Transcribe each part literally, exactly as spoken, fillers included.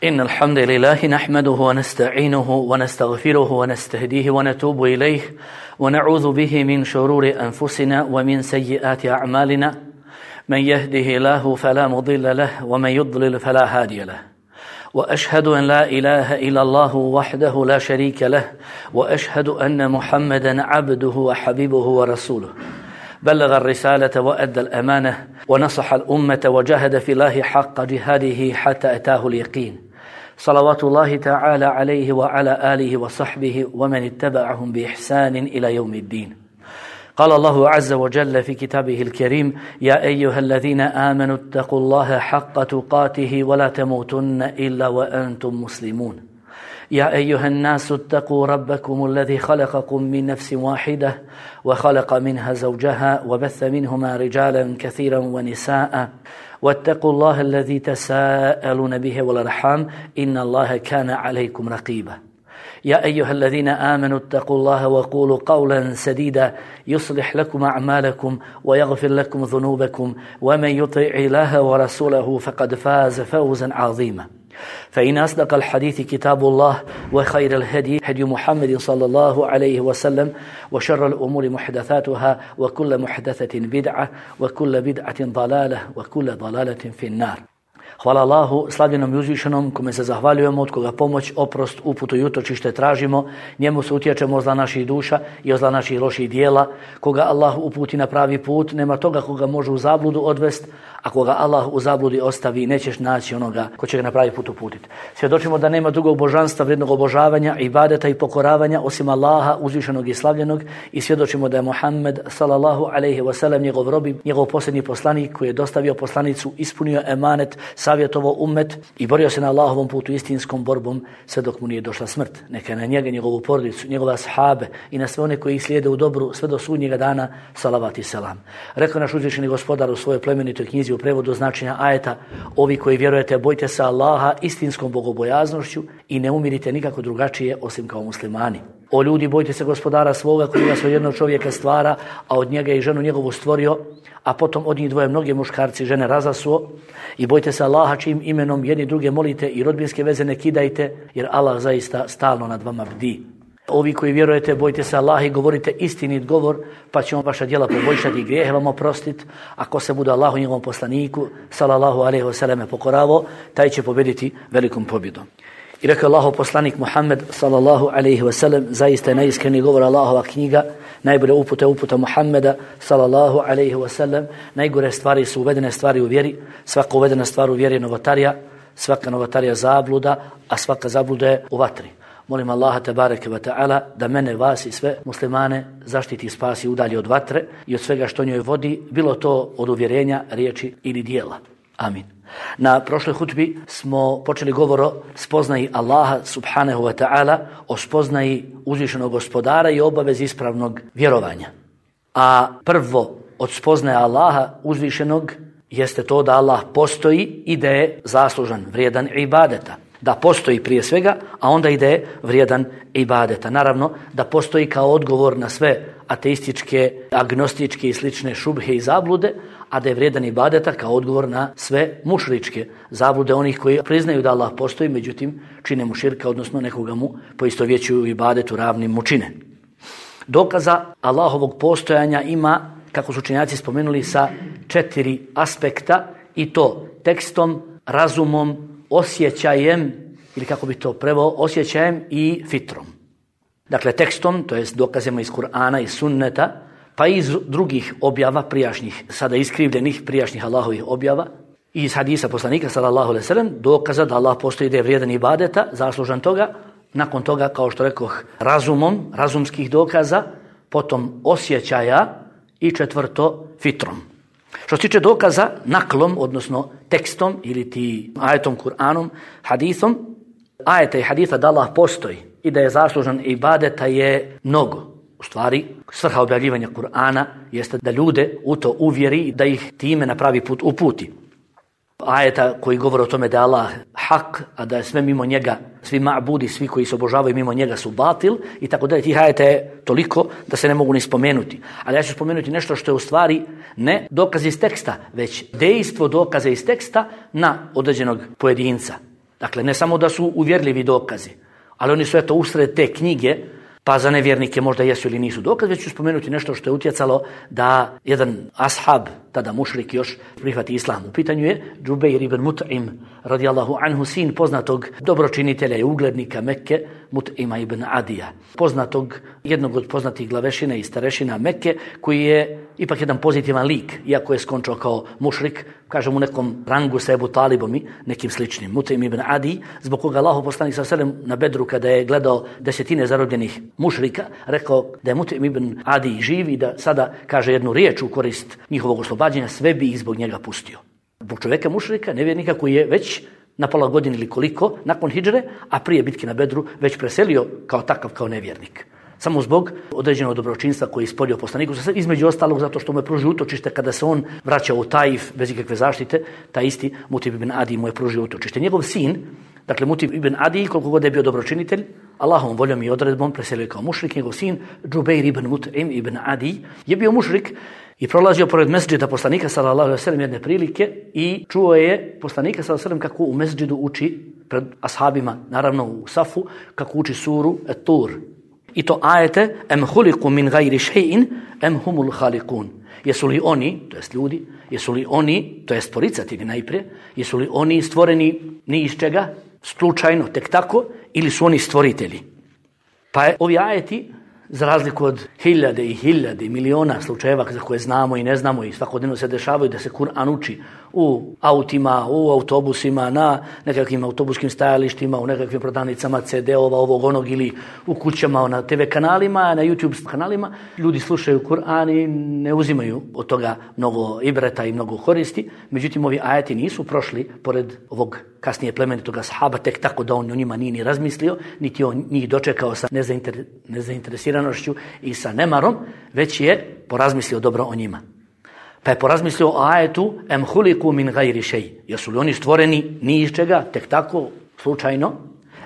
إن الحمد لله نحمده ونستعينه ونستغفره ونستهديه ونتوب إليه ونعوذ به من شرور أنفسنا ومن سيئات أعمالنا من يهده الله فلا مضل له ومن يضلل فلا هادي له وأشهد أن لا إله إلا الله وحده لا شريك له وأشهد أن محمدا عبده وحبيبه ورسوله بلغ الرسالة وأدى الأمانة ونصح الأمة وجاهد في الله حق جهاده حتى أتاه اليقين صلوات الله تعالى عليه وعلى آله وصحبه ومن اتبعهم بإحسان إلى يوم الدين. قال الله عز وجل في كتابه الكريم: يا أيها الذين آمنوا اتقوا الله حق تقاته ولا تموتن إلا وأنتم مسلمون. يا أيها الناس اتقوا ربكم الذي خلقكم من نفس واحدة وخلق منها زوجها وبث منهما رجالا كثيرا ونساء واتقوا الله الذي تساءلون به والأرحام إن الله كان عليكم رقيبا. يا أيها الذين آمنوا اتقوا الله وقولوا قولا سديدا يصلح لكم أعمالكم ويغفر لكم ذنوبكم ومن يطع الله ورسوله فقد فاز فوزا عظيما. فإن أصدق الحديث كتاب الله وخير الهدي هدي محمد صلى الله عليه وسلم وشر الأمور محدثاتها وكل محدثة بدعة وكل بدعة ضلالة وكل ضلالة في النار. Hvala Allahu, slavljenom i uzvišenom, kome se zahvaljujemo, od koga pomoć, oprost, uputu i utočište tražimo. Njemu se utječemo od zla naših duša i od zla naših loših dijela. Koga Allah uputi na pravi put, nema toga koga može u zabludu odvest, a koga Allah u zabludi ostavi, nećeš naći onoga ko će ga na pravi put uputiti. Svjedočimo da nema drugog božanstva, vrijednog obožavanja, ibadeta i pokoravanja osim Allaha, uzvišenog i slavljenog, i svjedočimo da je Muhammed sallallahu alejhi ve sellem njegov rob, njegov posljednji poslanik koji je dostavio poslanicu, ispunio emanet, savjetovo ummet i borio se na Allahovom putu istinskom borbom sve dok mu nije došla smrt. Neka na njega, njegovu porodicu, njegove ashabe i na sve one koji ih slijede u dobru sve do sudnjega dana, salavat i selam. Rekao naš uzvišeni gospodar u svojoj plemenitoj knjizi u prevodu značenja ajeta: ovi koji vjerujete, bojte se Allaha istinskom bogobojaznošću i ne umirite nikako drugačije osim kao muslimani. O ljudi, bojte se gospodara svoga koji vas od jednog čovjeka stvara, a od njega i ženu njegovu stvorio, a potom od njih dvoje mnoge muškarci žene razasuo, i bojte se Allaha čijim imenom jedni druge molite i rodbinske veze ne kidajte, jer Allah zaista stalno nad vama bdi. Ovi koji vjerujete, bojte se Allaha i govorite istinit govor, pa će on vaša djela poboljšati i grijehe vam oprostiti. Ako se bude Allahu njegovom poslaniku sallallahu alejhi ve selleme pokoravo, taj će pobjediti velikom pobjedom. I rekao Allahov poslanik Muhammed sallallahu alejhi ve sellem: zaista je najiskreni govor Allahova knjiga, najbolja uputa uputa Muhammeda sallallahu alejhi ve sellem. Najgore stvari su uvedene stvari u vjeri, svaka uvedena stvar u vjeri je novotarija, svaka novotarija zabluda, a svaka zabluda je u vatri. Molim Allaha tebareke ve taala da mene, vas i sve muslimane zaštiti i spasi, udalji od vatre i od svega što njoj vodi, bilo to od uvjerenja, riječi ili dijela. Amin. Na prošloj hutbi smo počeli govor o spoznaji Allaha subhanahu wa ta'ala, o spoznaji uzvišenog gospodara i obavezi ispravnog vjerovanja. A prvo od spoznaje Allaha uzvišenog jeste to da Allah postoji i da je zaslužan, vrijedan ibadeta. Da postoji prije svega, a onda i da je vrijedan ibadeta. Naravno, da postoji kao odgovor na sve ateističke, agnostičke i slične šubhe i zablude, a da je vrijedan ibadeta kao odgovor na sve mušričke zablude onih koji priznaju da Allah postoji, međutim čine mu širka, odnosno nekoga mu poistovjećuju ibadetu ravnim mu čine. Dokaza Allahovog postojanja ima, kako su učenjaci spomenuli, sa četiri aspekta, i to tekstom, razumom, osjećajem, ili kako bi to preveo, osjećajem i fitrom. Dakle, tekstom, to jest dokazima iz Kur'ana i sunneta, pa i iz drugih objava prijašnjih, sada iskrivljenih prijašnjih Allahovih objava, i iz hadisa poslanika sallallahu alejhi ve sellem, dokaza da Allah postoji, da je vrijedan ibadeta, zaslužan toga. Nakon toga, kao što rekoh, razumom, razumskih dokaza, potom osjećaja i četvrto fitrom. Što se tiče dokaza naklom, odnosno tekstom ili ti ajetom, Kur'anom, hadisom, ajeta i haditha da Allah postoji i da je zaslužan ibadeta je mnogo. U stvari, svrha objavljivanja Kur'ana jeste da ljude u to uvjeri, da ih time na pravi put uputi. Ajeta koji govore o tome da je Allah hak, a da je sve mimo njega, svi ma'budi, svi koji se obožavaju mimo njega su batil, i tako dalje. Tih ajeta je toliko da se ne mogu ni spomenuti. Ali ja ću spomenuti nešto što je u stvari ne dokaz iz teksta, već dejstvo dokaza iz teksta na određenog pojedinca. Dakle, ne samo da su uvjerljivi dokazi, ali oni su eto usred te knjige, pa za nevjernike možda jesu ili nisu dokaz, već ću spomenuti nešto što je utjecalo da jedan ashab, tada mušrik još, prihvati islam. U pitanju je Džubeir ibn Mut'im, radijallahu anhu, sin poznatog dobročinitelja i uglednika Mekke, Mut'ima ibn Adija. Poznatog, jednog od poznatih glavešina i starešina Mekke, koji je ipak jedan pozitivan lik, iako je skončao kao mušrik, kažem u nekom rangu sa Ebu Talibom i nekim sličnim. Mut'im ibn Adi, zbog koga Allahov poslanik sallallahu alejhi ve sellem na Bedru, kada je gledao desetine zarobljenih mušrika, rekao da je Mut'im ibn Adi živ i da sada kaže jednu riječ u korist njihovog oslobađanja, sve bi ih zbog njega pustio. Zbog čovjeka mušrika, nevjernika koji je već na pola godine ili koliko, nakon hidžre, a prije bitke na Bedru, već preselio kao takav, kao nevjernik. Samo zbog određenog dobročinstva koji je ispolio poslaniku, između ostalog zato što mu je pružio utočište kada se on vraćao u Taif bez ikakve zaštite, taj isti Mut'im ibn Adi mu je pružio utočište. Njegov sin, dakle Mut'im ibn Adi, koliko god je bio dobročinitelj, Allahovom voljom i odredbom preselio kao mušrik. Njegov sin, Džubeir ibn Mut'im ibn Adi, je bio mušrik i prolazio pored mesdžida poslanika sallallahu alejhi ve sellem jedne prilike i čuo je poslanika sallallahu alejhi ve sellem kako u mesdžidu uči pred ashabima, naravno u safu, kako uči suru Et-Tur. I to ajete em huliku min gajri še'in em humul halikun. Jesu li oni, to jest ljudi, jesu li oni, to jest poricatelji najprije, jesu li oni stvoreni ni iz čega, slučajno, tek tako, ili su oni stvoritelji? Pa je ovi ajeti, za razliku od hiljade i hiljade i miliona slučajeva za koje znamo i ne znamo i svakodnevno se dešavaju da se Kur'an uči u autima, u autobusima, na nekakvim autobuskim stajalištima, u nekakvim prodavnicama ce de-ova, ovog onog, ili u kućama, na te ve kanalima, na YouTube kanalima. Ljudi slušaju Kur'an i ne uzimaju od toga mnogo ibreta i mnogo koristi. Međutim, ovi ajeti nisu prošli pored ovog kasnije plemenitog ashaba tek tako da on o njima nije ni razmislio, niti on njih dočekao sa nezainter, nezainteresiranošću i sa nemarom, već je porazmislio dobro o njima. Pa je porazmislio o ajetu em huliku min gajri šej. Jesu li oni stvoreni ni iz čega, tek tako, slučajno?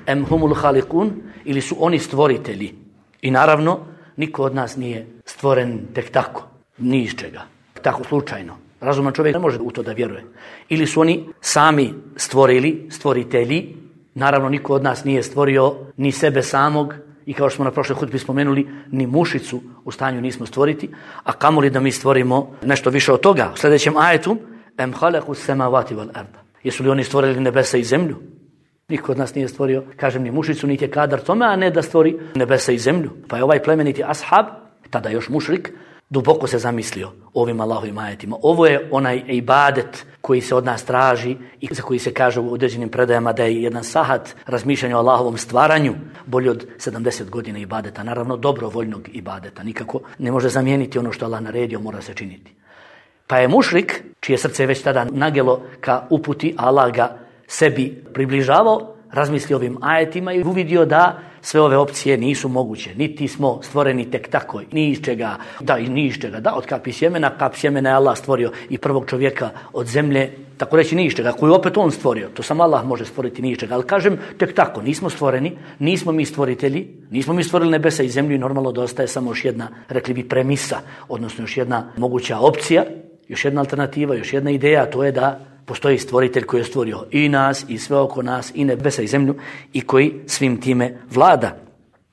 Em humul halikun, ili su oni stvoritelji? I naravno, niko od nas nije stvoren tek tako, ni iz čega, tako slučajno. Razuman čovjek ne može u to da vjeruje. Ili su oni sami stvorili, stvoritelji. Naravno, niko od nas nije stvorio ni sebe samog i kao što smo na prošloj hutbi spomenuli, ni mušicu u stanju nismo stvoriti, a kamoli da mi stvorimo nešto više od toga. U sljedećem ajetu em halaku semavati wal arda. Jesu li oni stvorili nebesa i zemlju? Niko od nas nije stvorio, kažem, ni mušicu, niti je kadar tome, a ne da stvori nebesa i zemlju. Pa je ovaj plemeniti ashab, tada još mušrik, duboko se zamislio o ovim Allahovim ajetima. Ovo je onaj ibadet koji se od nas traži i za koji se kaže u određenim predajama da je jedan sahat razmišljanja o Allahovom stvaranju bolji od sedamdeset godina ibadeta. Naravno, dobrovoljnog ibadeta. Nikako ne može zamijeniti ono što Allah naredio, mora se činiti. Pa je mušrik, čije srce je već tada nagelo ka uputi, Allah ga sebi približavao, razmislio ovim ajetima i uvidio da sve ove opcije nisu moguće. Niti smo stvoreni tek tako, ni iz čega, da, ni iz čega, da, od kapi sjemena, kap sjemena je Allah stvorio i prvog čovjeka od zemlje, tako reći ni iz čega, koju opet on stvorio. To sam Allah može stvoriti ni iz čega, ali kažem tek tako, nismo stvoreni, nismo mi stvoritelji, nismo mi stvorili nebesa i zemlju i normalno da ostaje samo još jedna, rekli bi, premisa, odnosno još jedna moguća opcija, još jedna alternativa, još jedna ideja, to je da postoji stvoritelj koji je stvorio i nas, i sve oko nas, i nebesa i zemlju, i koji svim time vlada.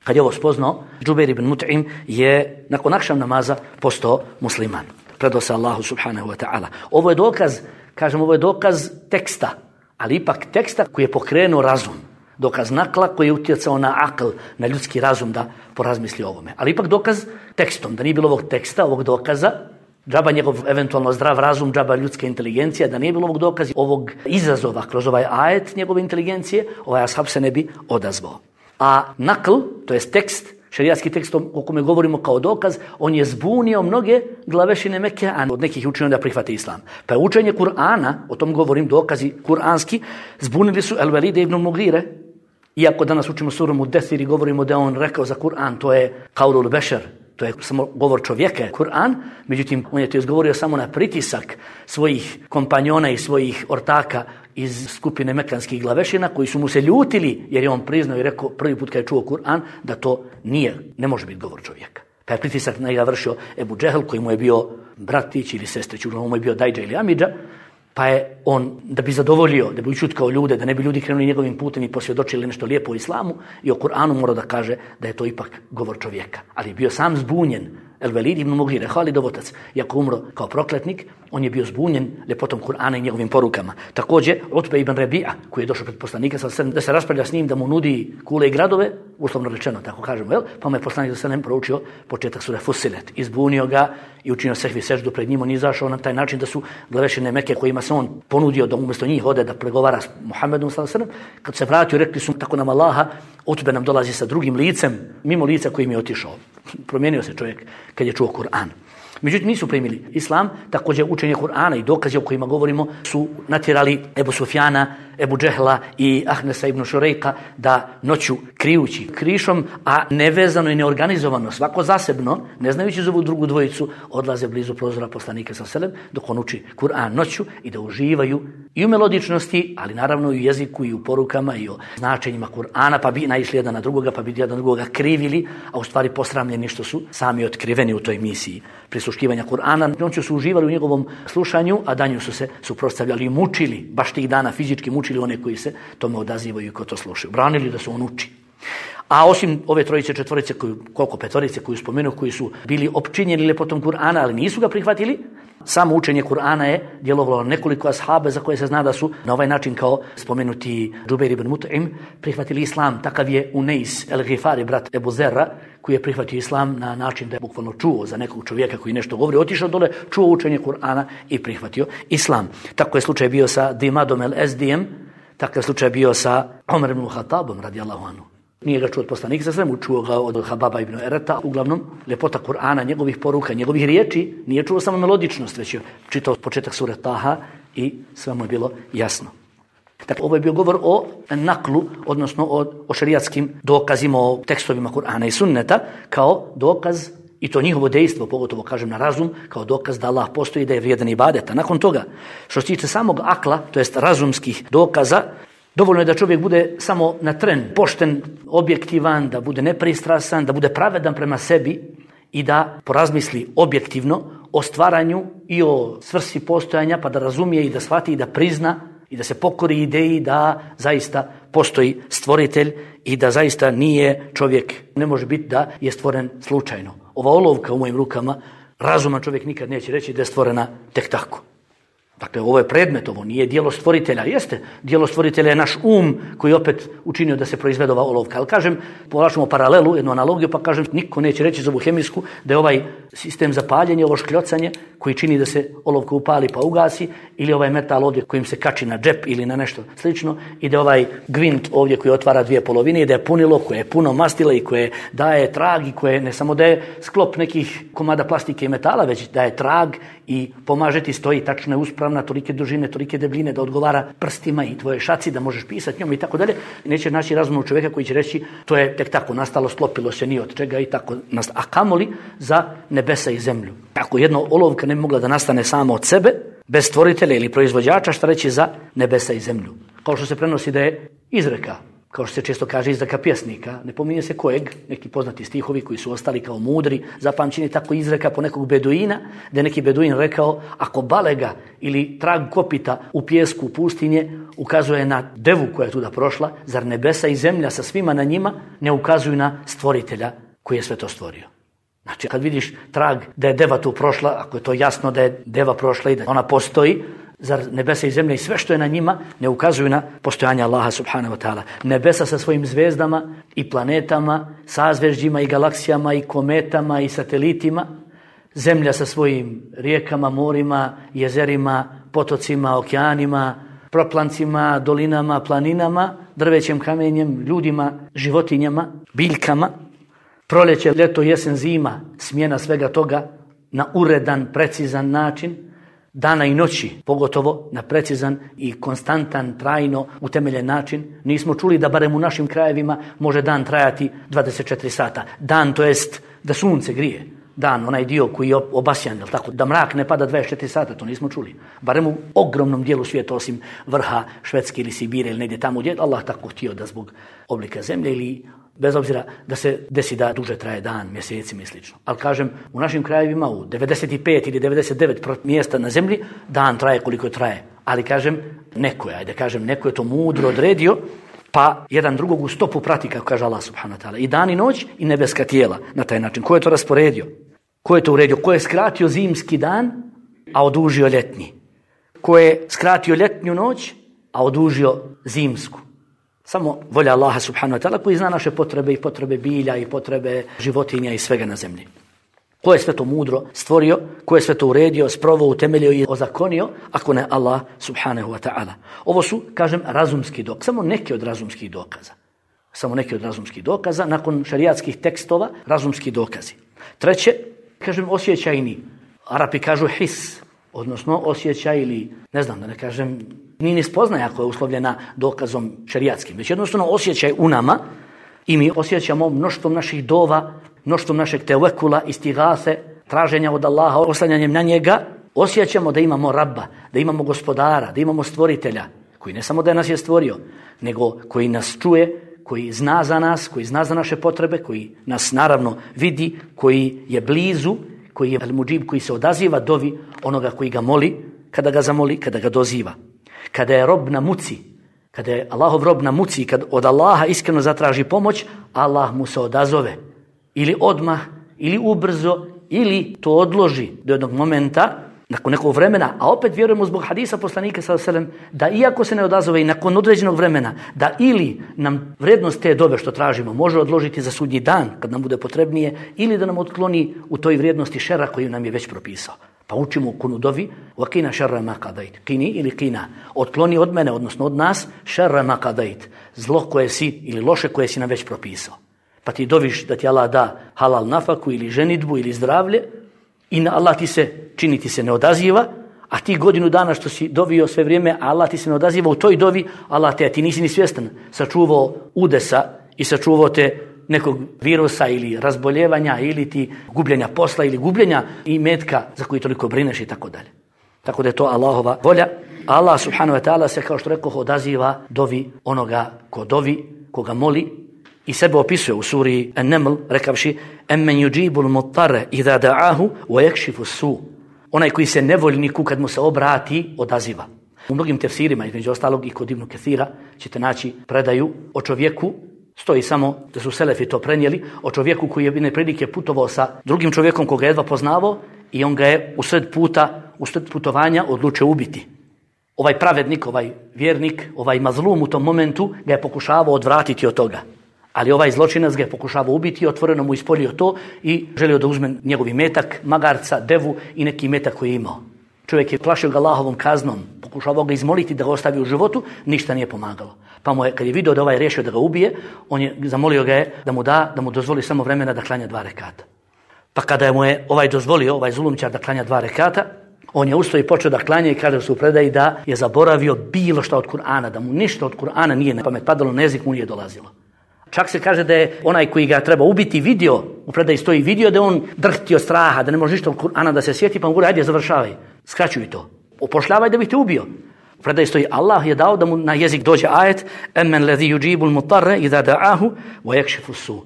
Kad je ovo spoznao, Džubeir ibn Mut'im je nakon akšam namaza postao musliman. Predao se Allahu subhanahu wa ta'ala. Ovo je dokaz, kažem, ovo je dokaz teksta, ali ipak teksta koji je pokrenuo razum. Dokaz nakla koji je utjecao na akl, na ljudski razum da porazmisli o ovome. Ali ipak dokaz tekstom, da nije bilo ovog teksta, ovog dokaza, džaba njegov eventualno zdrav razum, džaba ljudske inteligencije, da nije bilo ovog dokaza, ovog izazova kroz ovaj ajet njegove inteligencije, ovaj ashab se ne bi odazvao. A nakl, to jest tekst, šerijatski tekst o kome govorimo kao dokaz, on je zbunio mnoge glavešine Mekke, a od nekih učinio da prihvate islam. Pa je učenje Kur'ana, o tom govorim, dokazi kuranski, zbunili su El-Velide ibn Mugire, iako danas učimo suru Muddethir i govorimo da on rekao za Kur'an, to je kaulul bešer, to je samo govor čovjeka, Kur'an, međutim, on je to izgovorio samo na pritisak svojih kompanjona i svojih ortaka iz skupine mekanskih glavešina, koji su mu se ljutili, jer je on priznao i rekao prvi put kad je čuo Kur'an, da to nije, ne može biti govor čovjeka. Pa je pritisak na njega vršio Ebu Džehl, koji mu je bio bratić ili sestrić, uglavnom mu je bio Dajđa ili Amidža, Pa je on, da bi zadovoljio, da bi učutkao ljude, da ne bi ljudi krenuli njegovim putem i posvjedočili nešto lijepo o islamu, i o Kur'anu mora da kaže da je to ipak govor čovjeka. Ali je bio sam zbunjen. El Velid ibn Mughire, Halidov otac, iako umro kao prokletnik, on je bio zbunjen ljepotom Kur'ana i njegovim porukama. Također, Utbe ibn Rebi'a, koji je došao pred poslanika da se raspravlja s njim, da mu nudi kule i gradove, uslovno rečeno, tako kažemo, jel? Pa mu je poslanik sallallahu alejhi ve sellem proučio početak sure Fussilet, izbunio ga i učinio sehvi seždu pred njim. On je izašao na taj način da su glavešine Mekke kojima se on ponudio da umjesto njih ode da pregovara s Muhammedom sallallahu alejhi ve sellem, kad se vratio, rekli su tako nam Allaha, Utbe nam dolazi sa drugim licem, mimo lica kojim je otišao. Promijenio se čovjek kad je čuo Kur'an. Međutim, nisu primili islam. Također učenje Kur'ana i dokazi o kojima govorimo su natjerali Ebu Sufjana, Ebu Džehla i Ahnesa ibn Šurejka da noću krijući krišom, a nevezano i neorganizovano, svako zasebno, ne znajući za ovu drugu dvojicu, odlaze blizu prozora poslanika sallallahu alejhi ve sellem dok on uči Kur'an noću i da uživaju i u melodičnosti, ali naravno i u jeziku i u porukama i o značenjima Kur'ana, pa bi naišli jedan na drugoga, pa bi jedan na drugoga krivili, a u stvari posramljeni što su sami otkriveni u toj misiji prisluškivanja Kur'ana. Noću su uživali u njegovom slušanju, a danju su se suprotstavljali i mučili, baš tih dana fizički mučili one koji se tome odazivaju i ko to slušaju. Branili da se on uči. A osim ove trojice, četvorice, koju, koliko petorice koju spomenu, koji su bili opčinjeni lepotom Kur'ana, ali nisu ga prihvatili, samo učenje Kur'ana je djelovalo nekoliko ashabe za koje se zna da su na ovaj način kao spomenuti Džubeir ibn Mut'im prihvatili islam. Takav je Unais el-Ghifari, brat Ebu Zerra, koji je prihvatio islam na način da je bukvalno čuo za nekog čovjeka koji nešto govori, otišao dole, čuo učenje Kur'ana i prihvatio islam. Tako je slučaj bio sa Dimadom el-Ezdijem, takav je slučaj bio sa Omer ibn Khattabom radijallahu anhu. Nije ga čuo od poslanika sa svemu, čuo ga od Hababa ibn Ereta, uglavnom ljepota Kur'ana, njegovih poruka, njegovih riječi, nije čuo samo melodičnost, već je čitao početak sure Taha i sve mu je bilo jasno. Dakle, ovo je bio govor o naklu, odnosno o, o šerijatskim dokazima, o tekstovima Kur'ana i sunneta, kao dokaz, i to njihovo dejstvo, pogotovo kažem na razum, kao dokaz da Allah postoji, da je vrijedan ibadeta. Nakon toga, što se tiče samog akla, to jest razumskih dokaza, dovoljno je da čovjek bude samo na tren, pošten, objektivan, da bude nepristrasan, da bude pravedan prema sebi i da porazmisli objektivno o stvaranju i o svrsi postojanja, pa da razumije i da shvati i da prizna i da se pokori ideji da zaista postoji stvoritelj i da zaista nije čovjek, ne može biti da je stvoren slučajno. Ova olovka u mojim rukama, razuman čovjek nikad neće reći da je stvorena tek tako. Dakle, ovo je predmet, ovo nije djelo stvoritelja. Jeste, djelo stvoritelja je naš um koji opet učinio da se proizvede ova olovka. Ali kažem, povlačimo paralelu, jednu analogiju, pa kažem, niko neće reći za ovu hemijsku da je ovaj sistem za paljenje, ovo škljocanje koji čini da se olovka upali pa ugasi, ili ovaj metal ovdje kojim se kači na džep ili na nešto slično, i da ovaj gvint ovdje koji otvara dvije polovine i da je punilo, koje je puno mastila i koje daje trag i koje ne samo da je sklop nekih komada plastike i metala, već da je trag i pomaže ti stoji tačno je uspravna, tolike dužine, tolike debljine, da odgovara prstima i tvoje šaci, da možeš pisati njom i tako dalje. Neće naći razumnog čovjeka koji će reći to je tek tako nastalo, sklopilo se ni od čega i tako nastalo. A kamoli za nebesa i zemlju. Ako jedna olovka ne bi mogla da nastane sama od sebe, bez stvoritelja ili proizvođača, šta reći za nebesa i zemlju? Kao što se prenosi da je izreka, kao što se često kaže izreka pjesnika, ne pominje se kojeg, neki poznati stihovi koji su ostali kao mudri, zapamćeni, tako izreka po nekog beduina, da je neki beduin rekao, ako balega ili trag kopita u pijesku pustinje ukazuje na devu koja je tuda prošla, zar nebesa i zemlja sa svima na njima ne ukazuju na stvoritelja koji je sve to stvorio? Znači, kad vidiš trag da je deva tu prošla, ako je to jasno da je deva prošla i da ona postoji, zar nebesa i zemlja i sve što je na njima ne ukazuju na postojanje Allaha subhanahu wa ta'ala? Nebesa sa svojim zvezdama i planetama, sazvežđima i galaksijama i kometama i satelitima, zemlja sa svojim rijekama, morima, jezerima, potocima, okeanima, proplancima, dolinama, planinama, drvećem, kamenjem, ljudima, životinjama, biljkama, proljeće, ljeto, jesen, zima, smjena svega toga na uredan, precizan način, dana i noći, pogotovo na precizan i konstantan, trajno utemeljen način. Nismo čuli da barem u našim krajevima može dan trajati dvadeset četiri sata. Dan, to jest da sunce grije. Dan, onaj dio koji je obasjan, tako, da mrak ne pada dvadeset četiri sata, to nismo čuli. Barem u ogromnom dijelu svijeta, osim vrha Švedske ili Sibire ili negdje tamo gdje Allah tako htio da zbog oblika zemlje ili bez obzira da se desi da duže traje dan, mjesecima i slično. Ali kažem, u našim krajevima u devedeset pet ili devedeset devet mjesta na zemlji dan traje koliko traje. Ali kažem, neko je, ajde kažem, neko je to mudro odredio, pa jedan drugog u stopu prati, kako kaže Allah subhanahu wa ta'ala. I dan i noć i nebeska tijela na taj način. Ko je to rasporedio? Ko je to uredio? Ko je skratio zimski dan, a odužio ljetni? Ko je skratio ljetnju noć, a odužio zimsku? Samo volja Allaha subhanahu wa ta'ala koji zna naše potrebe i potrebe bilja i potrebe životinja i svega na zemlji. Ko je sve to mudro stvorio, ko je sve to uredio, sproveo, utemeljio i ozakonio, ako ne Allah subhanahu wa ta'ala. Ovo su, kažem, razumski dokaz, samo neki od razumskih dokaza. Samo neki od razumskih dokaza, nakon šarijatskih tekstova, razumski dokazi. Treće, kažem, osjećajni. Arapi kažu his, odnosno osjećaj ili, ne znam da ne kažem, ni ni spoznaja koja je uslovljena dokazom šarijatskim, već jednostavno osjećaj u nama i mi osjećamo mnoštvom naših dova, mnoštvom našeg tevekula, istigase, traženja od Allaha, oslanjanjem na njega, osjećamo da imamo Rabba, da imamo gospodara, da imamo stvoritelja, koji ne samo da nas je stvorio, nego koji nas čuje, koji zna za nas, koji zna za naše potrebe, koji nas naravno vidi, koji je blizu, koji je al-muđib, koji se odaziva dovi onoga koji ga moli, kada ga zamoli, kada ga doziva. Kada je rob na muci, kada je Allahov rob na muci, kad od Allaha iskreno zatraži pomoć, Allah mu se odazove. Ili odmah, ili ubrzo, ili to odloži do jednog momenta, nakon nekog vremena, a opet vjerujemo zbog hadisa poslanika sallallahu alejhi ve sellem da iako se ne odazove i nakon određenog vremena, da ili nam vrijednost te dove što tražimo može odložiti za sudnji dan kad nam bude potrebnije, ili da nam otkloni u toj vrijednosti šera koju nam je već propisao. Pa učimo u kunudovi وَقِنَا شَرَّ مَا قَضَيْتِ Kini ili kina. Otkloni od mene, odnosno od nas, šerra ma kadajt. Zlo koje si ili loše koje si nam već propisao. Pa ti doviš da ti Allah da halal nafaku ili ženidbu ili zdravlje i na Allah ti se, čini ti se ne odaziva, a ti godinu dana što si dovio sve vrijeme, a Allah ti se ne odaziva u toj dovi, Allah te, ti nisi ni svjestan, sačuvao udesa i sačuvao te nekog virusa ili razboljevanja ili ti gubljenja posla ili gubljenja imetka za koji toliko brineš i tako dalje. Tako da je to Allahova volja. Allah subhanahu wa ta'ala se, kao što rekao, odaziva dovi onoga ko dovi, koga moli i sebe opisuje u suri An-Naml rekavši emmen yujibul muttarra idha da'ahu wa yakshifu su. Onaj koji se nevoljniku kad mu se obrati odaziva. U mnogim tefsirima, između ostalog i kod Ibn Kathira, ćete naći predaju o čovjeku, stoji samo da su selefi to prenijeli, o čovjeku koji je jedne prilike putovao sa drugim čovjekom koga je jedva poznavao i on ga je usred puta, usred putovanja odlučio ubiti. Ovaj pravednik, ovaj vjernik, ovaj mazlum u tom momentu ga je pokušavao odvratiti od toga. Ali ovaj zločinac ga je pokušavao ubiti i otvoreno mu ispolio to i želio da uzme njegov metak, magarca, devu i neki metak koji je imao. Čovjek je plašio ga Allahovom kaznom, pokušavao ga izmoliti da ga ostavi u životu, ništa nije pomagalo. Pa mu je, kad je vidio da ovaj rješio da ga ubije, on je zamolio ga je da mu da, da mu dozvoli samo vremena da klanja dva rekata. Pa kada mu je ovaj dozvolio, ovaj zulumčar da klanja dva rekata, on je ustao i počeo da klanja i kaže su u predaji da je zaboravio bilo što od Kur'ana, da mu ništa od Kur'ana nije na pamet padalo, na jezik mu nije dolazilo. Čak se kaže da je onaj koji ga treba ubiti vidio, u predaji stoji vidio da je on drhti od straha, da ne može ništa od Kur'ana da se sjeti, pa mu govori, ajde završavaj, skraćuj to, opošljavaj da bih te ubio. U predaji stoji, Allah je dao da mu na jezik dođe ajet emmen ladhi yujibul mutarra idha da'ahu wa yakshifu su.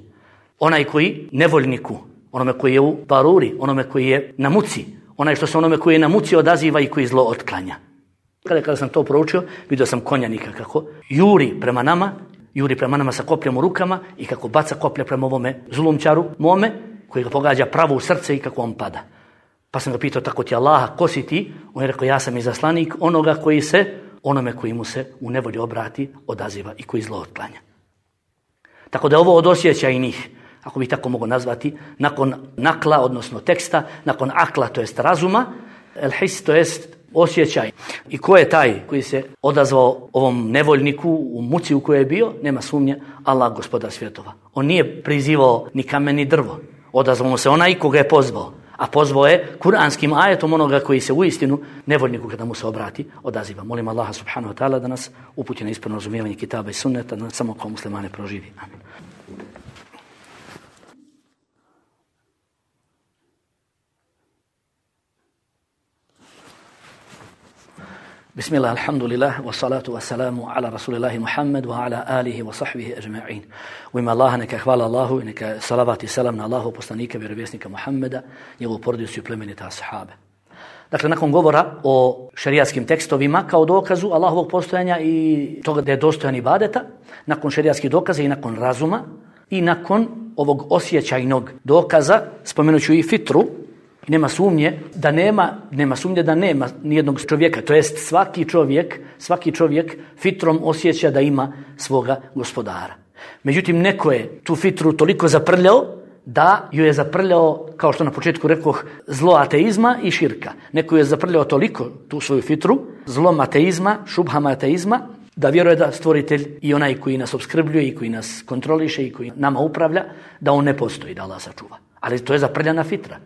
Onaj koji nevoljniku, onome koji je u baruri, onome koji je na muci, onaj što se onome koji je na muci odaziva i koji zlo otklanja. Kada, kada sam to proučio, vidio sam konjanika kako juri prema nama, juri prema nama sa kopljom u rukama i kako baca koplja prema ovome zulumčaru mome, koji ga pogađa pravo u srce i kako on pada. Pa sam ga pitao, tako ti Allaha, ko si ti? On je rekao, ja sam izaslanik onoga koji se, onome koji mu se u nevolji obrati, odaziva i koji zlo otklanja. Tako da ovo od osjećajnih, ako bih tako mogo nazvati, nakon nakla, odnosno teksta, nakon akla, to jest razuma, el his, to jest osjećaj. I ko je taj koji se odazvao ovom nevoljniku u muci u kojoj je bio? Nema sumnje, Allah, gospodar svjetova. On nije prizivao ni kamen ni drvo. Odazvao mu se onaj koga je pozvao. A pozvao je kuranskim ajetom onoga koji se uistinu nevoljniku kada mu se obrati odaziva. Molim Allaha subhanahu wa ta'ala da nas uputi na ispravno razumijevanje kitaba i sunneta, da nas samo kao muslimane proživi. Amin. Bismillah, alhamdulillah, wa salatu wa salamu ala rasulillahi Muhammad wa ala alihi wa sahbihi ajma'in. U ime Allaha neka hvala Allahu i neka salavat i salam na Allahu poslanika, vjerovjesnika Muhammeda, njegovu porodicu i plemenite ashabe. Dakle, nakon govora o šerijatskim tekstovima kao dokazu Allahovog postojanja i toga da je dostojan ibadeta, nakon šerijatskih dokaza i nakon razuma i nakon ovog osjećajnog dokaza, spomenut ću i fitru, nema sumnje da nema, nema sumnje da nema nijednog čovjeka, to jest svaki čovjek, svaki čovjek fitrom osjeća da ima svoga gospodara. Međutim, neko je tu fitru toliko zaprljao da ju je zaprljao, kao što na početku rekoh, zlo ateizma i širka. Neko je zaprljao toliko tu svoju fitru, zlom ateizma, šubhama ateizma, da vjeruje da stvoritelj i onaj koji nas opskrbljuje i koji nas kontroliše i koji nama upravlja, da on ne postoji, da Allah sačuva. Ali to je zaprljana fitra.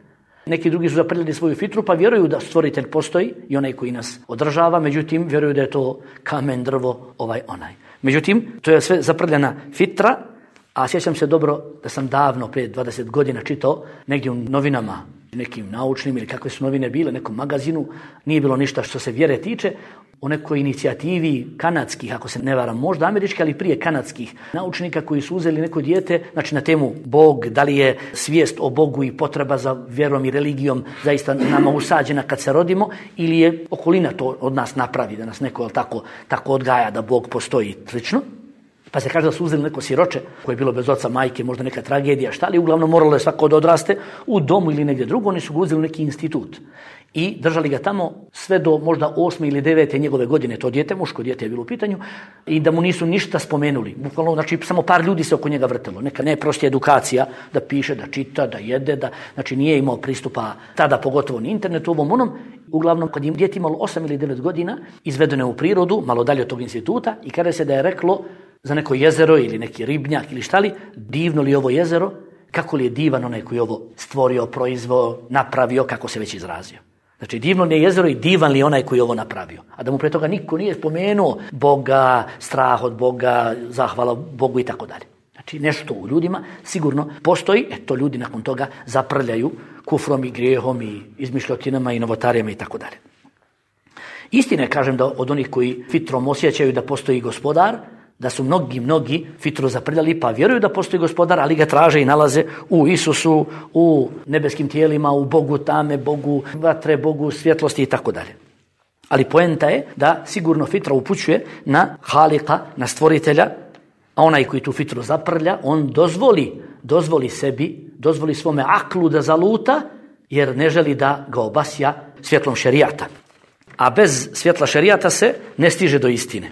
Neki drugi su zaprljali svoju fitru pa vjeruju da stvoritelj postoji i onaj koji nas održava, međutim vjeruju da je to kamen, drvo, ovaj onaj. Međutim, to je sve zaprljana fitra, a sjećam se dobro da sam davno, prije dvadeset godina čitao negdje u novinama, nekim naučnim ili kakve su novine bile, nekom magazinu, nije bilo ništa što se vjere tiče, o nekoj inicijativi kanadskih, ako se ne varam, možda američki, ali prije kanadskih naučnika koji su uzeli neko dijete, znači na temu Bog, da li je svijest o Bogu i potreba za vjerom i religijom zaista nama usađena kad se rodimo, ili je okolina to od nas napravi, da nas neko tako, tako odgaja da Bog postoji slično. Pa se kaže da su uzeli neko siroče koje je bilo bez oca, majke, možda neka tragedija, šta li, uglavnom moralo je svako da odraste u domu ili negdje drugo, oni su ga uzeli u neki institut i držali ga tamo sve do možda osme ili devete njegove godine, to dijete, muško dijete je bilo u pitanju, i da mu nisu ništa spomenuli. Bukvalno, znači, samo par ljudi se oko njega vrtelo. Neka najprostija edukacija, da piše, da čita, da jede, da, znači nije imao pristupa tada, pogotovo ni internetu, ovom onom. Uglavnom, kad je dijete imalo osam ili devet godina, izvedeno je u prirodu, malo dalje od tog instituta, i kada se da je reklo za neko jezero ili neki ribnjak ili šta li, divno li ovo jezero, kako li je divan onaj koji je ovo stvorio, proizveo, napravio, kako se već izrazio. Znači, divno li je jezero i divan li je onaj koji je ovo napravio. A da mu pre toga niko nije spomenuo Boga, strah od Boga, zahvala Bogu i tako dalje. Znači, nešto u ljudima sigurno postoji, e to ljudi nakon toga zaprljaju kufrom i grijehom i izmišljotinama i novotarijama i tako dalje. Istina je, kažem, da od onih koji fitrom osjećaju da postoji gospodar, da su mnogi, mnogi fitru zaprljali pa vjeruju da postoji gospodar, ali ga traže i nalaze u Isusu, u nebeskim tijelima, u Bogu tame, Bogu vatre, Bogu svjetlosti i tako dalje. Ali poenta je da sigurno fitra upućuje na Halika, na stvoritelja, a onaj koji tu fitru zaprlja, on dozvoli, dozvoli sebi, dozvoli svome aklu da zaluta, jer ne želi da ga obasja svjetlom šerijata. A bez svjetla šerijata se ne stiže do istine.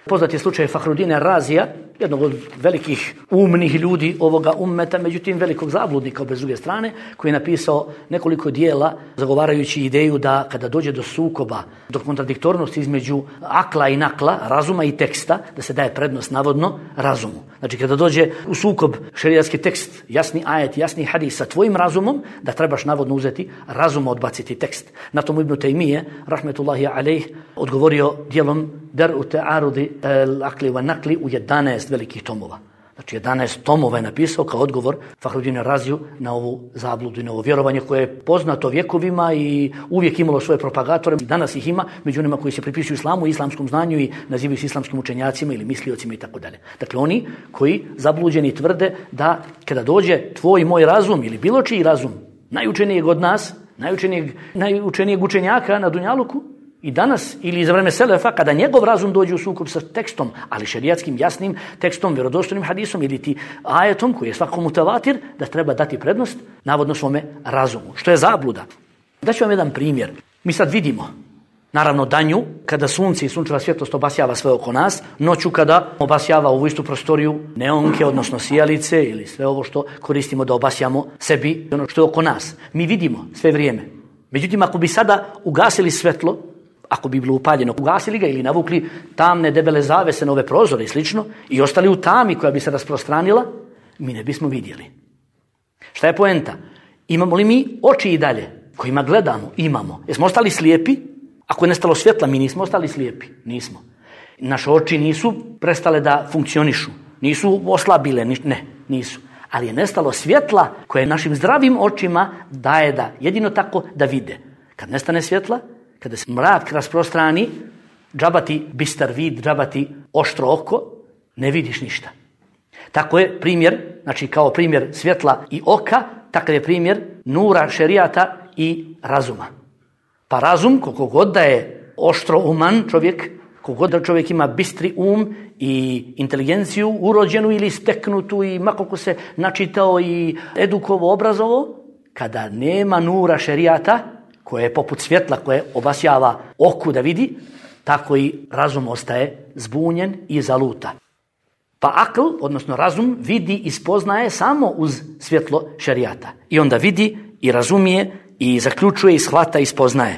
Poznat je slučaj Fahrudina Razija, jednog od velikih umnih ljudi ovoga ummeta, međutim velikog zabludnika bez druge strane, koji je napisao nekoliko dijela zagovarajući ideju da kada dođe do sukoba, do kontradiktornosti između akla i nakla, razuma i teksta, da se daje prednost navodno razumu. Znači kada dođe u sukob šerijatski tekst, jasni ajet, jasni hadis sa tvojim razumom, da trebaš navodno uzeti razum, odbaciti tekst. Na tomu Ibn Taymije, rahmetullahi alejh, odgovorio dijelom Dar'u ta'arudi al-akli wa nakli u jedanaest velikih tomova. Znači jedanaest tomova je napisao kao odgovor Fahrudinu Raziju na ovu zabludu i na ovo vjerovanje koje je poznato vjekovima i uvijek imalo svoje propagatore. Danas ih ima među onima koji se pripisuju islamu, islamskom znanju i nazivaju se islamskim učenjacima ili misliocima i tako dalje. Dakle, oni koji zabluđeni tvrde da kada dođe tvoj moj razum ili bilo čiji razum, najučenijeg od nas, najučenijeg, najučenijeg učenjaka na Dunjaluku, i danas ili za vreme Selefa, kada njegov razum dođe u sukob sa tekstom, ali šerijatskim jasnim tekstom, vjerodostojnim hadisom ili ti ajetom koji je svako mutavatir, da treba dati prednost navodno svome razumu. Što je zabluda? Daću vam jedan primjer. Mi sad vidimo, naravno danju, kada sunce i sunčeva svjetlost obasjava sve oko nas, noću kada obasjava ovu istu prostoriju neonke, odnosno sijalice ili sve ovo što koristimo da obasjamo sebi, ono što je oko nas. Mi vidimo sve vrijeme. Međutim, ako bi sada ugasili svjetlo, ako bi bilo upaljeno, ugasili ga ili navukli tamne debele zavese na ove prozore i slično i ostali u tami koja bi se rasprostranila, mi ne bismo vidjeli. Šta je poenta? Imamo li mi oči i dalje kojima gledamo? Imamo. Jesmo ostali slijepi? Ako je nestalo svjetla, mi nismo ostali slijepi. Nismo. Naše oči nisu prestale da funkcionišu. Nisu oslabile. Ne, nisu. Ali je nestalo svjetla koje našim zdravim očima daje da jedino tako da vide. Kad nestane svjetla, kada se mrak rasprostrani, džabati bistar vid, džabati oštro oko, ne vidiš ništa. Tako je primjer, znači kao primjer svjetla i oka, takav je primjer nura šerijata i razuma. Pa razum, koliko god da je oštro uman čovjek, koliko god da čovjek ima bistri um i inteligenciju urođenu ili steknutu i makoliko se načitao i edukovo, obrazovo, kada nema nura šerijata, koje je poput svjetla koje obasjava oku da vidi, tako i razum ostaje zbunjen i zaluta. Pa akl, odnosno razum, vidi i spoznaje samo uz svjetlo šerijata. I onda vidi i razumije i zaključuje i shvata i spoznaje.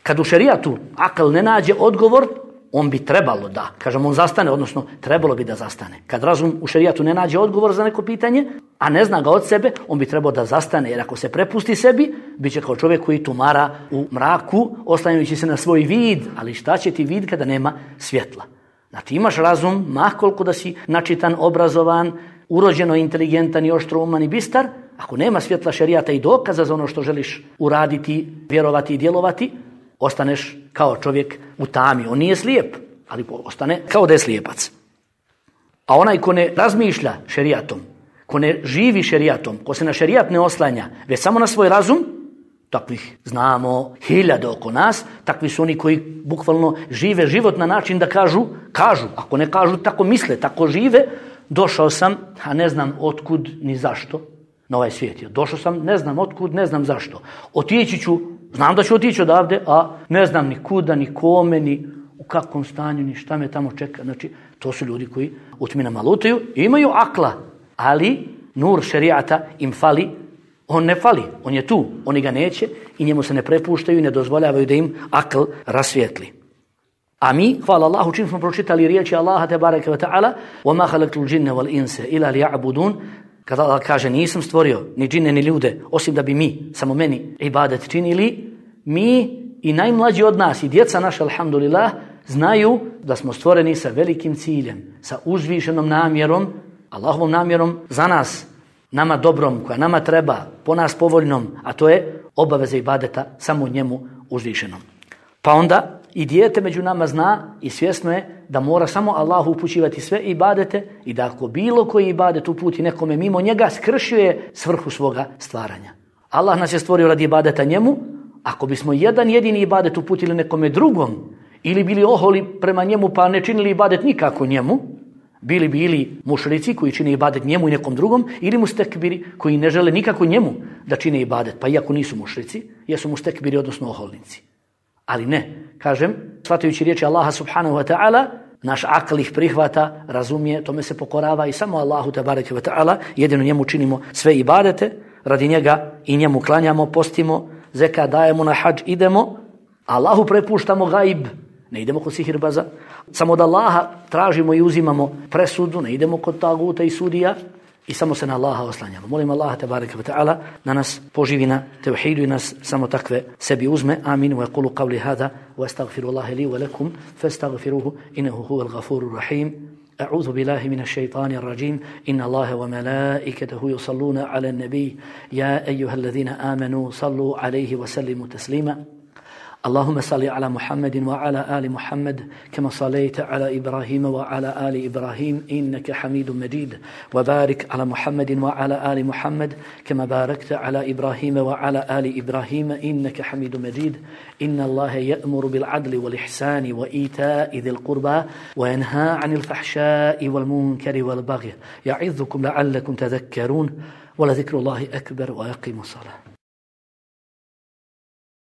Kad u šerijatu akl ne nađe odgovor, on bi trebalo da, kažem, on zastane, odnosno trebalo bi da zastane. Kad razum u šerijatu ne nađe odgovor za neko pitanje, a ne zna ga od sebe, on bi trebao da zastane, jer ako se prepusti sebi, bit će kao čovjek koji tumara u mraku, oslanjajući se na svoj vid, ali šta će ti vid kada nema svjetla? Znači imaš razum, ma koliko da si načitan, obrazovan, urođeno inteligentan i oštrouman i bistar, ako nema svjetla šerijata i dokaza za ono što želiš uraditi, vjerovati i djelovati, ostaneš kao čovjek u tami. On nije slijep, ali ostane kao da je slijepac. A onaj ko ne razmišlja šerijatom, ko ne živi šerijatom, ko se na šerijat ne oslanja, već samo na svoj razum, takvih znamo hiljade oko nas, takvi su oni koji bukvalno žive život na način da kažu, kažu, ako ne kažu, tako misle, tako žive, došao sam, a ne znam otkud ni zašto na ovaj svijet. Došao sam, ne znam otkud, ne znam zašto. Otići ću, znam da ću otići odavde, a ne znam ni kuda, ni kome, ni u kakvom stanju, ni šta me tamo čeka. Znači, to su ljudi koji u tminama lutaju, imaju akla, ali nur šerijata im fali. On ne fali, on je tu, oni ga neće i njemu se ne prepuštaju i ne dozvoljavaju da im akl rasvijetli. A mi, hvala Allahu, čim smo pročitali riječi Allaha tebareke ve ta'ala, وَمَا خَلَقْتُ الْجِنَّ وَالْإِنْسَ إِلَّا لِيَعْبُدُونَ, kada Allah kaže nisam stvorio ni džine ni ljude, osim da bi mi, samo meni, ibadet činili, mi i najmlađi od nas i djeca naša, alhamdulillah, znaju da smo stvoreni sa velikim ciljem, sa uzvišenom namjerom, Allahovom namjerom za nas, nama dobrom, koja nama treba, po nas povoljnom, a to je obaveza ibadeta samo njemu uzvišenom. Pa onda i dijete među nama zna i svjesno je da mora samo Allahu upućivati sve ibadete i da ako bilo koji ibadet uputi nekome mimo njega, skršio je svrhu svoga stvaranja. Allah nas je stvorio radi ibadeta njemu, ako bismo jedan jedini ibadet uputili nekome drugom ili bili oholi prema njemu pa ne činili ibadet nikako njemu, bili bi ili mušrici koji čine ibadet njemu i nekom drugom, ili mustekbiri koji ne žele nikako njemu da čine ibadet, pa iako nisu mušrici, jesu mustekbiri, odnosno oholnici. Ali ne, kažem, shvatajući riječi Allaha subhanahu wa ta'ala, naš akl ih prihvata, razumije, tome se pokorava i samo Allahu tebareke wa ta'ala, jedino njemu činimo sve ibadete, radi njega i njemu klanjamo, postimo, zeka dajemo, na hadž idemo, Allahu prepuštamo gaib, ne idemo kod sihirbaza, samo od Allaha tražimo i uzimamo presudu, ne idemo kod taguta i sudija i samo se na Allaha oslanjamo. Molim Allaha tebareke ve ta'ala da nas poživi na tevhidu i nas samo takve sebi uzme. Amin. Wa yaqulu qawli hadha wa astaghfirullaha li wa lakum fastaghfiruhu innahu huwal ghafurur rahim. أعوذ بالله من الشيطان الرجيم إن الله وملائكته يصلون على النبي يا أيها الذين آمنوا صلوا عليه وسلموا تسليما اللهم صل على محمد وعلى آل محمد كما صليت على إبراهيم وعلى آل إبراهيم إنك حميد مجيد وبارك على محمد وعلى آل محمد كما باركت على إبراهيم وعلى آل إبراهيم إنك حميد مجيد إن الله يأمر بالعدل والإحسان وإيتاء ذي القربى وينهى عن الفحشاء والمنكر والبغي يعظكم لعلكم تذكرون ولذكر الله أكبر ويقيم الصلاة.